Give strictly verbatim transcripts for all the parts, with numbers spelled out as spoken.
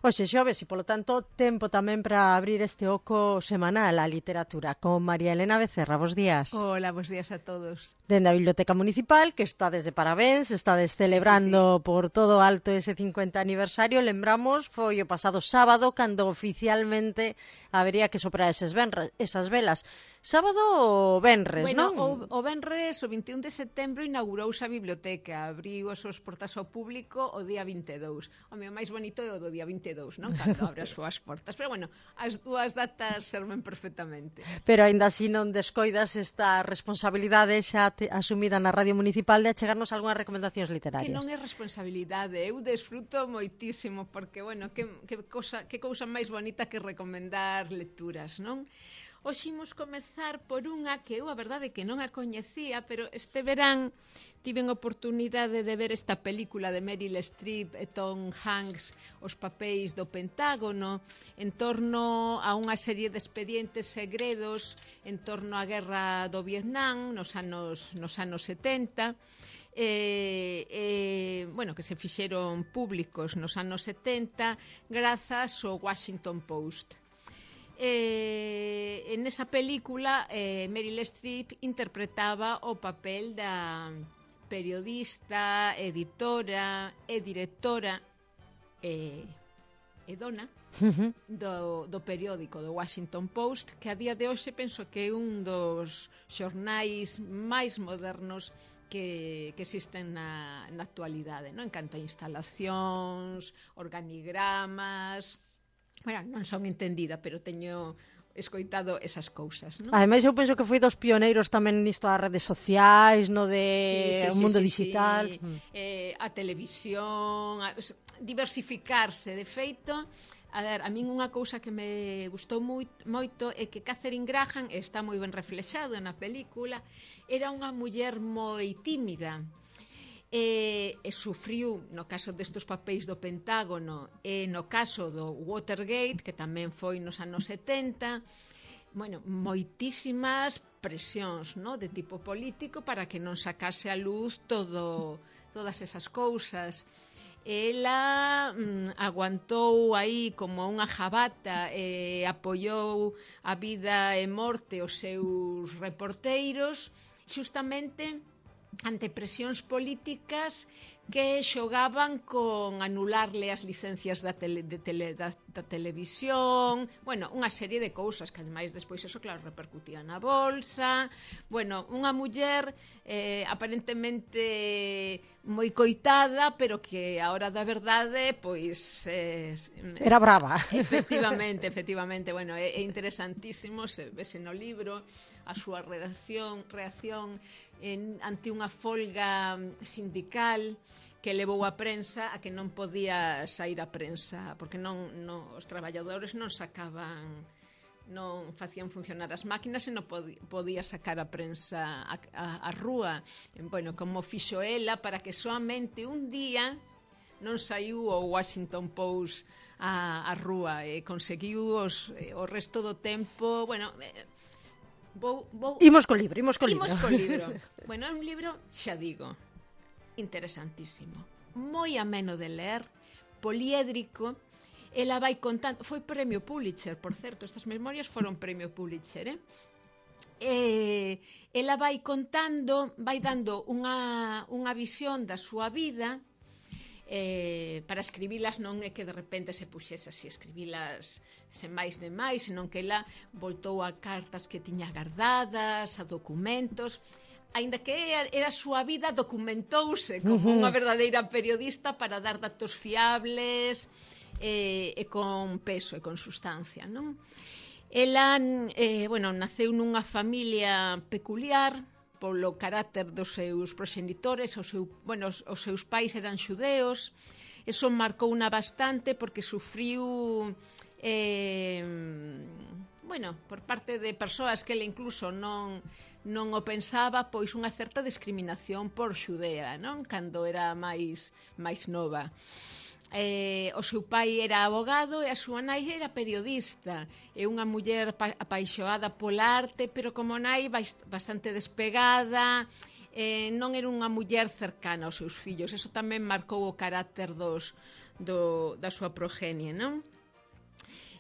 Hoxe xoves e, polo tanto, tempo tamén para abrir este oco semanal á literatura con María Elena Becerra. Bos días. Hola, bos días a todos. Dende a Biblioteca Municipal, que está desde parabéns, está celebrando sí, sí, sí. por todo alto ese cincuenta aniversario. Lembramos, foi o pasado sábado, cando oficialmente habería que soprar eses venres, esas velas. Sábado ou venres, bueno, non? O, o venres, o vinte e un de setembro, inaugurouse a biblioteca. Abriu as súas portas ao público o día vinte e dous. O meu máis bonito é o do día vinte e dous, non? Cando abre as súas portas. Pero, bueno, as dúas datas serven perfectamente. Pero, aínda así, non descoidas esta responsabilidade xa te, asumida na Radio Municipal de achegarnos algunhas recomendacións literarias. Que non é responsabilidade. Eu desfruto moitísimo, porque, bueno, que, que, cousa, que cousa máis bonita que recomendar lecturas, non? Hoxe imos comezar por unha que eu a verdade que non a coñecía, pero este verán tiven oportunidade de ver esta película de Meryl Streep e Tom Hanks, Os papéis do Pentágono, en torno a unha serie de expedientes segredos en torno á guerra do Vietnam nos anos, nos anos setenta, Eh, eh, bueno, que se fixeron públicos nos anos setenta grazas ao Washington Post. Eh, en esa película eh, Meryl Streep interpretaba o papel da periodista, editora e directora e, e dona do, do periódico do Washington Post, que a día de hoxe penso que é un dos xornais máis modernos que, que existen na, na actualidade, non? En canto a instalacións, organigramas. Bueno, non son entendida, pero teño escoitado esas cousas, non? Ademais, eu penso que foi dos pioneiros tamén nisto das redes sociais, no de sí, sí, o mundo sí, digital. Sí. Mm. Eh, a televisión, a, diversificarse, de feito. A ver, a min unha cousa que me gustou moito, moito é que Catherine Graham, está moi ben reflexado na película, era unha muller moi tímida. E, e sufriu, no caso destes papéis do Pentágono e no caso do Watergate, que tamén foi nos anos setenta, bueno, moitísimas presións, no? De tipo político para que non sacase a luz todo, todas esas cousas. Ela mm, aguantou aí como unha jabata e apoiou a vida e morte os seus reporteiros xustamente ante presións políticas que xogaban con anularle as licencias da, tele, de tele, da, da televisión, bueno, unha serie de cousas que ademais despois eso claro repercutía na bolsa. Bueno, unha muller eh, aparentemente moi coitada, pero que a hora da verdade pois eh, era brava. Efectivamente, efectivamente, bueno, é, é interesantísimo, se vese no libro a súa reacción, reacción en, ante unha folga sindical que levou a prensa a que non podía sair a prensa, porque non, non os traballadores non sacaban, non facían funcionar as máquinas e non podía sacar a prensa a, a, a rúa. Bueno, como fixo ela para que soamente un día non saiu o Washington Post a, a rúa e conseguiu os, o resto do tempo, bueno, vou, vou... Imos co libro, imos co libro. Imos co libro. Bueno, é un libro, xa digo, interesantísimo, moi ameno de ler, poliédrico. Ela vai contando, foi premio Pulitzer, por certo, estas memorias foron premio Pulitzer, eh? E ela vai contando, vai dando unha, unha visión da súa vida. Eh, para escribilas non é que de repente se puxese así, escribilas sen máis nem máis, senón que ela voltou a cartas que tiña guardadas, a documentos. Aínda que era a súa vida, documentouse como unha verdadeira periodista para dar datos fiables e, e con peso e con sustancia, non? Ela, eh, bueno, naceu nunha familia peculiar polo carácter dos seus proxenitores, o seu, bueno, os, os seus pais eran xudeos. Eso marcou unha bastante porque sufriu eh, bueno, por parte de persoas que ele incluso non non o pensaba, pois unha certa discriminación por xudea, non? Cando era máis máis nova. Eh, o seu pai era abogado e a súa nai era periodista. É unha muller apaixoada pola arte, pero como nai bastante despegada eh, non era unha muller cercana aos seus fillos. Eso tamén marcou o carácter dos, do, da súa progenie, non?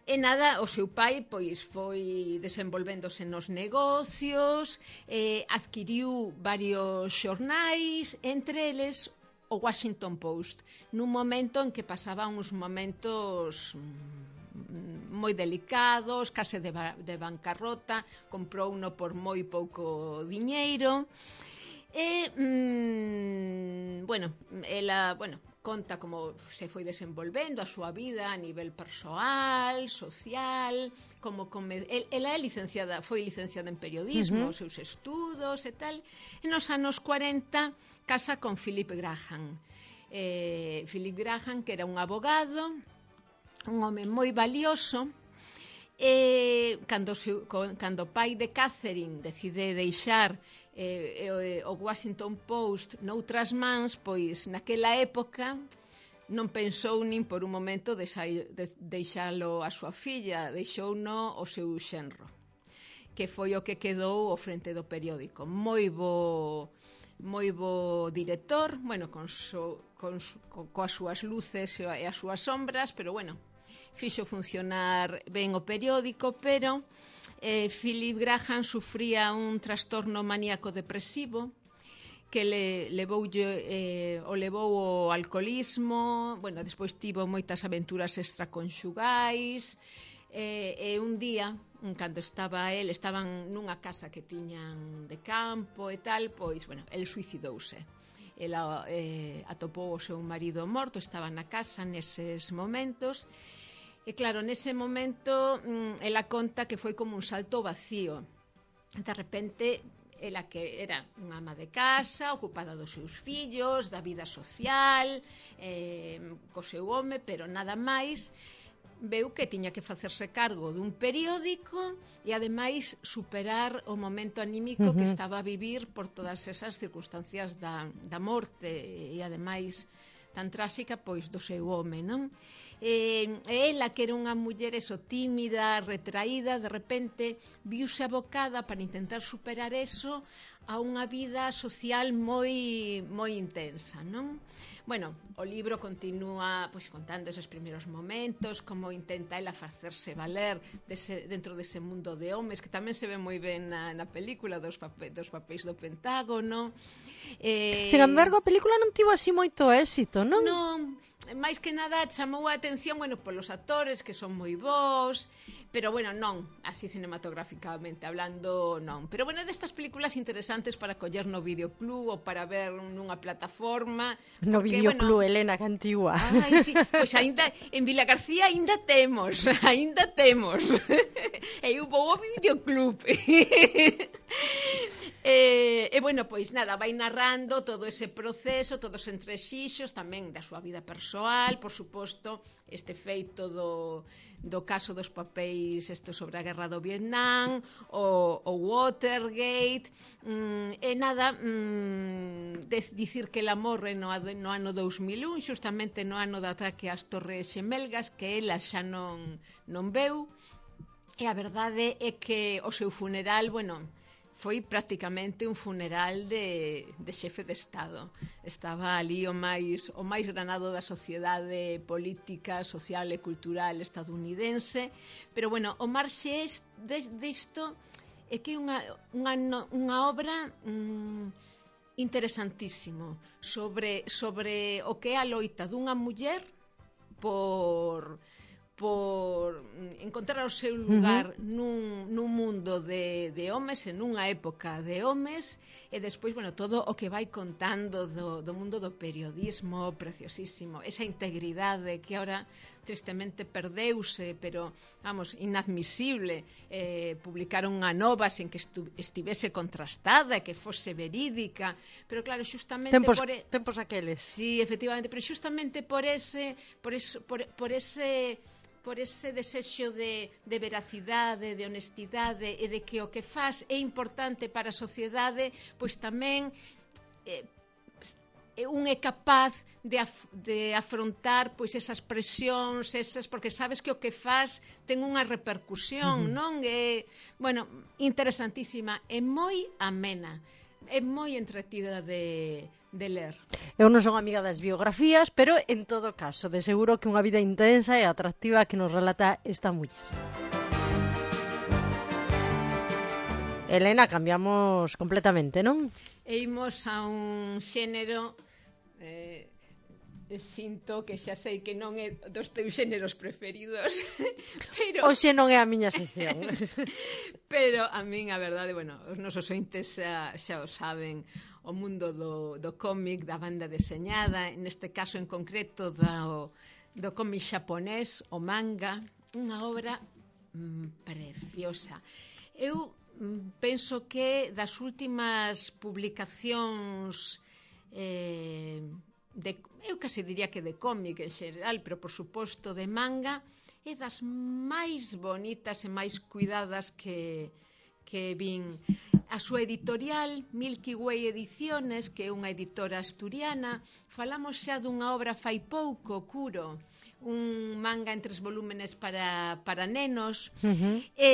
E nada, o seu pai pois foi desenvolvéndose nos negocios, eh, adquiriu varios xornais, entre eles o Washington Post, nun momento en que pasaba uns momentos moi delicados, case de, ba de bancarrota, comprou uno por moi pouco diñeiro. E, mmm, bueno, ela, bueno, conta como se foi desenvolvendo a súa vida a nivel persoal, social, como come... ela é licenciada, foi licenciada en periodismo, uh-huh. os seus estudos e tal. E nos anos cuarenta casa con Philip Graham. Eh, Philip Graham, que era un abogado, un home moi valioso. E cando, se, cando o pai de Catherine decide deixar eh, o Washington Post noutras mans, pois naquela época non pensou nin por un momento deixa, de, deixalo a súa filla, deixouno o seu xenro, que foi o que quedou ao frente do periódico. Moi bo, moi bo director, bueno, con, so, con, con coas súas luces e as súas sombras, pero bueno, fixo funcionar ben o periódico, pero eh, Philip Graham sufría un trastorno maníaco depresivo que le levou, eh, o levou ao alcoholismo, bueno, despois tivo moitas aventuras extraconxugais, eh, e un día, cando estaba el, estaban nunha casa que tiñan de campo e tal, pois, bueno, el suicidouse. Ela eh, atopou o seu marido morto, estaba na casa neses momentos. E claro, nese momento ela conta que foi como un salto vacío. De repente, ela que era unha ama de casa, ocupada dos seus fillos, da vida social, eh, co seu home, pero nada máis, veu que tiña que facerse cargo dun periódico e ademais superar o momento anímico uh-huh. que estaba a vivir por todas esas circunstancias da, da morte e ademais tan tráxica pois do seu home, non? E ela, que era unha muller eso, tímida, retraída, de repente viuse abocada para intentar superar eso a unha vida social moi moi intensa, non? Bueno, o libro continúa pois contando esos primeiros momentos, como intenta ela facerse valer dese, dentro dese mundo de homes, que tamén se ve moi ben na, na película dos, papé, dos papéis do Pentágono. Eh... Sin embargo, a película non tivo así moito éxito, non? Non, máis que nada chamou a atención, bueno, polos actores que son moi bons, pero bueno, non, así cinematográficamente hablando, non. Pero bueno, destas películas interesantes para coller no videoclub ou para ver nunha plataforma. No porque, videoclub, bueno, Elena, que antigua. Ai, sí, pois ainda en Vila García ainda temos, ainda temos. E eu vou ao videoclub. E, e bueno, pois nada, vai narrando todo ese proceso, todos os entrexixos tamén da súa vida persoal, por suposto, este feito do, do caso dos papéis isto sobre a guerra do Vietnam, o, o Watergate, mm, e nada, mm, de, dicir que ela morre no, no ano dous mil un, xustamente no ano do ataque ás Torres Xemelgas, que ela xa non, non veu, e a verdade é que o seu funeral, bueno, foi prácticamente un funeral de, de xefe de Estado. Estaba ali o máis, o máis granado da sociedade política, social e cultural estadounidense, pero bueno, o marxe disto é que é unha, unha, unha obra mm, interesantísimo sobre, sobre o que é a loita dunha muller por... por encontrar o seu lugar uh-huh. nun, nun mundo de, de homes, en unha época de homes, e despois, bueno, todo o que vai contando do, do mundo do periodismo, preciosísimo, esa integridade que ahora tristemente perdeuse, pero, vamos, inadmisible, eh, publicaron unha nova sen que estu, estivese contrastada, que fose verídica, pero claro, xustamente tempos, por... E... tempos aqueles. Sí, efectivamente, pero xustamente por ese, por, eso, por, por ese... por ese desexo de, de veracidade, de honestidade e de que o que faz é importante para a sociedade, pois tamén eh, un é capaz de, af, de afrontar pois esas presións, esas, porque sabes que o que faz ten unha repercusión, uh-huh. non? É, bueno, interesantísima e moi amena. é moi entretida de, de ler. Eu non son amiga das biografías, pero en todo caso, de seguro que unha vida intensa e atractiva que nos relata esta muller. Elena, cambiamos completamente, non? E imos a un xénero... Eh, sinto que xa sei que non é dos teus xéneros preferidos, pero... Oxe non é a miña sección. Pero a min, a verdade, bueno, os nosos ointes xa, xa o saben, o mundo do, do cómic, da banda deseñada, neste caso en concreto do, do cómic xaponés, o manga, unha obra mm, preciosa. Eu mm, penso que das últimas publicacións... Eh, de, eu casi diría que de cómic en xeral, pero por suposto de manga, é das máis bonitas e máis cuidadas que, que vin. A súa editorial, Milky Way Ediciones, que é unha editora asturiana, falamos xa dunha obra fai pouco, Kuro, un manga en tres volúmenes para, para nenos, uh-huh. e,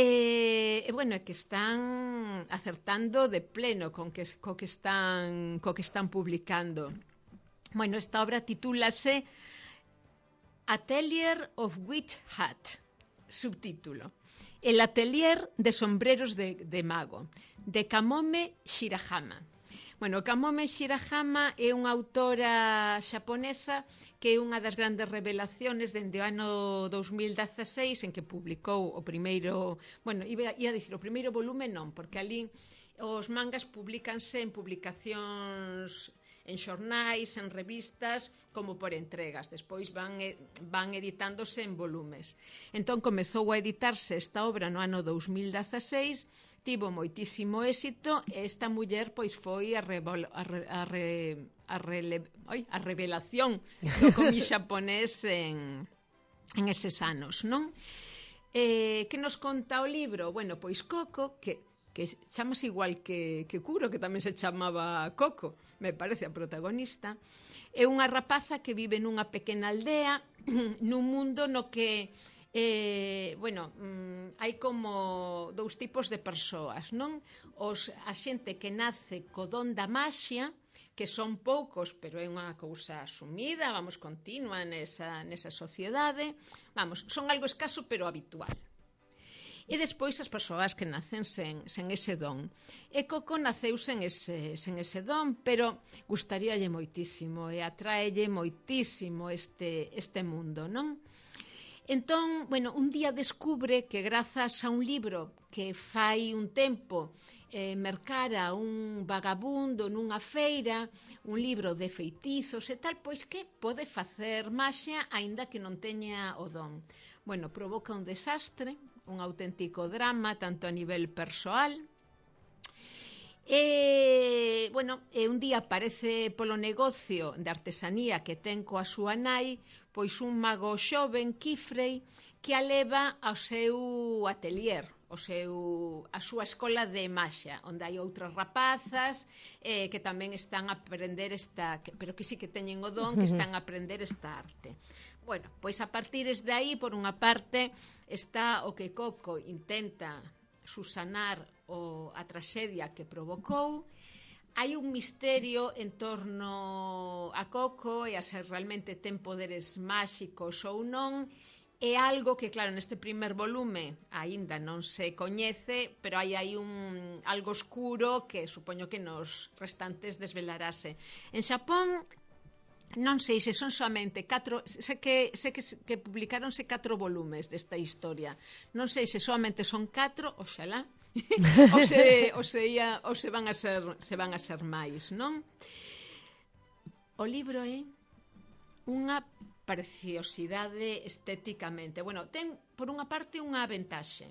e bueno, que están acertando de pleno con que, co que están, co que están publicando. Bueno, esta obra titúlase Atelier of Witch Hat, subtítulo. El atelier de sombreros de, de mago, de Kamome Shirahama. Bueno, Kamome Shirahama é unha autora xaponesa que é unha das grandes revelaciones dende o ano dous mil dezaseis en que publicou o primeiro, bueno, ia, ia dicir o primeiro volume non, porque ali os mangas publicanse en publicacións en xornais, en revistas, como por entregas. Despois van, van editándose en volumes. Entón, comezou a editarse esta obra no ano dous mil dezaseis, tivo moitísimo éxito, e esta muller pois foi a, revol, a, re, a, re, a, rele, oi, a revelación do cómic xaponés en, en eses anos, non? Eh, que nos conta o libro? Bueno, pois Coco, que que chamase igual que, que Kuro, que tamén se chamaba Coco, me parece a protagonista, é unha rapaza que vive nunha pequena aldea, nun mundo no que, eh, bueno, mm, hai como dous tipos de persoas, non? Os, a xente que nace co don da maxia, que son poucos, pero é unha cousa asumida, vamos, continua nesa, nesa sociedade, vamos, son algo escaso, pero habitual. E despois as persoas que nacen sen, sen ese don. E Coco naceu sen ese, sen ese don, pero gustaríalle moitísimo e atraelle moitísimo este, este mundo, non? Entón, bueno, un día descubre que grazas a un libro que fai un tempo eh, mercara un vagabundo nunha feira, un libro de feitizos e tal, pois que pode facer maxia aínda que non teña o don. Bueno, provoca un desastre, un auténtico drama, tanto a nivel persoal. E, bueno, e un día aparece polo negocio de artesanía que ten coa súa nai, pois un mago xoven, Kifrey, que a leva ao seu atelier, o seu, a súa escola de maxia, onde hai outras rapazas eh, que tamén están a aprender esta, pero que sí que teñen o don, que están a aprender esta arte. Bueno, pois a partir de aí, por unha parte, está o que Coco intenta susanar o, a traxedia que provocou. Hai un misterio en torno a Coco e a se realmente ten poderes máxicos ou non. É algo que, claro, neste primer volume aínda non se coñece, pero hai aí un algo oscuro que supoño que nos restantes desvelarase. En Xapón, non sei se son somente catro, sei que, sei que, que publicaronse catro volumes desta historia. Non sei se somente son catro, oxalá, ou se, ou se, ia, ou se van a ser, se van a ser máis, non? O libro é unha preciosidade estéticamente. Bueno, ten, por unha parte, unha ventaxe.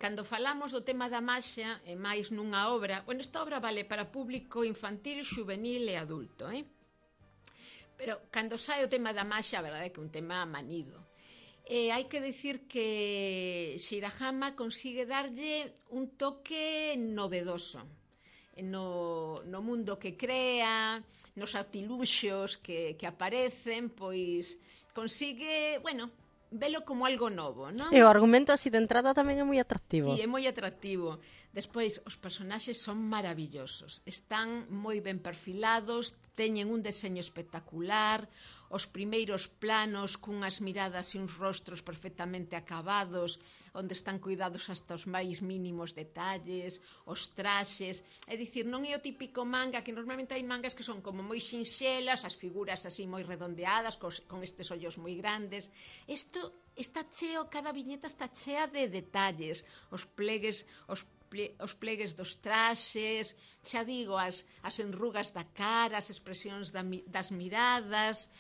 Cando falamos do tema da maxia, e máis nunha obra, bueno, esta obra vale para público infantil, xuvenil e adulto, eh? Pero cando sai o tema da maxia, a verdade é que é un tema manido. E hai que dicir que Shirahama consigue darlle un toque novedoso no, no mundo que crea, nos artiluxos que, que aparecen, pois consigue, bueno, velo como algo novo, non? E o argumento así de entrada tamén é moi atractivo. Sí, é moi atractivo. Despois, os personaxes son maravillosos. Están moi ben perfilados, teñen un deseño espectacular, os primeiros planos cunhas miradas e uns rostros perfectamente acabados, onde están cuidados hasta os máis mínimos detalles, os traxes. É dicir, non é o típico manga, que normalmente hai mangas que son como moi sinxelas, as figuras así moi redondeadas, cos, con estes ollos moi grandes. Isto está cheo, cada viñeta está chea de detalles, os plegues, os os plegues dos traxes, xa digo, as, as enrugas da cara, as expresións da, das miradas.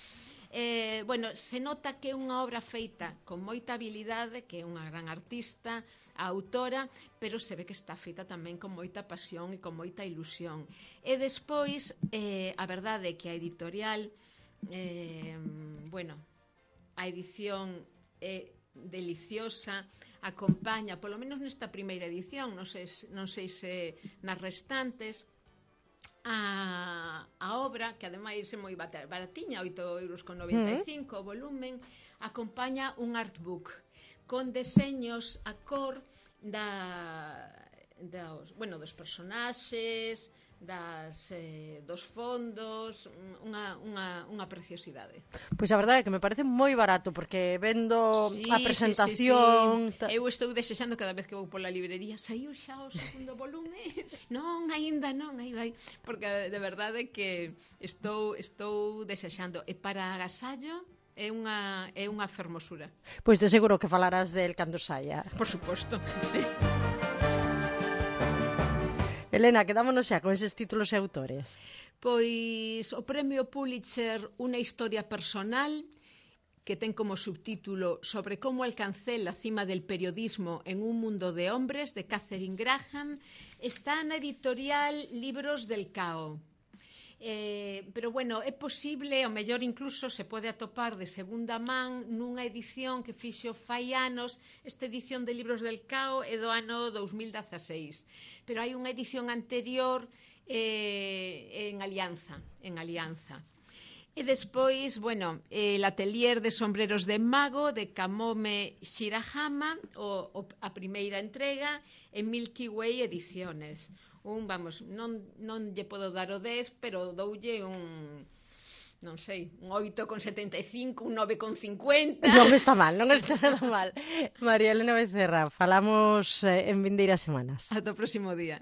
Eh, bueno, se nota que é unha obra feita con moita habilidade, que é unha gran artista, a autora, pero se ve que está feita tamén con moita pasión e con moita ilusión. E despois, eh, a verdade é que a editorial, eh, bueno, a edición é deliciosa, acompaña, polo menos nesta primeira edición, non sei, non sei se nas restantes, a, a obra, que ademais é moi baratiña, oito euros con noventa e cinco, o volumen, acompaña un artbook con deseños a cor da, dos, bueno, dos personaxes, das, eh, dos fondos, unha, unha, unha preciosidade. Pois a verdade é que me parece moi barato, porque vendo sí, a presentación... Sí, sí, sí. Eu estou desexando cada vez que vou pola librería, saiu xa o segundo volume? Non, aínda non, aí vai, porque de verdade que estou, estou desexando. E para agasallo é unha, é unha fermosura. Pois de seguro que falarás del cando saia. Por suposto. Elena, quedámonos xa con eses títulos e autores. Pois o premio Pulitzer, unha historia personal, que ten como subtítulo Sobre cómo alcancé la cima del periodismo en un mundo de hombres, de Catherine Graham, está na editorial Libros del Cao. Eh, pero bueno, é posible, o mellor incluso se pode atopar de segunda man nunha edición que fixo fai anos. Esta edición de Libros del Cao é do ano dous mil dezaseis, pero hai unha edición anterior eh, en Alianza, en Alianza. E despois, bueno, el atelier de sombreros de mago de Kamome Shirahama, o, o, a primeira entrega en Milky Way Ediciones. Un, vamos, non, non lle podo dar o dez, pero doulle un, non sei, un oito con setenta e cinco, un nove con cincuenta. Non está mal, non está nada mal. María Elena Becerra, falamos eh, en vindeiras semanas. Ata o próximo día.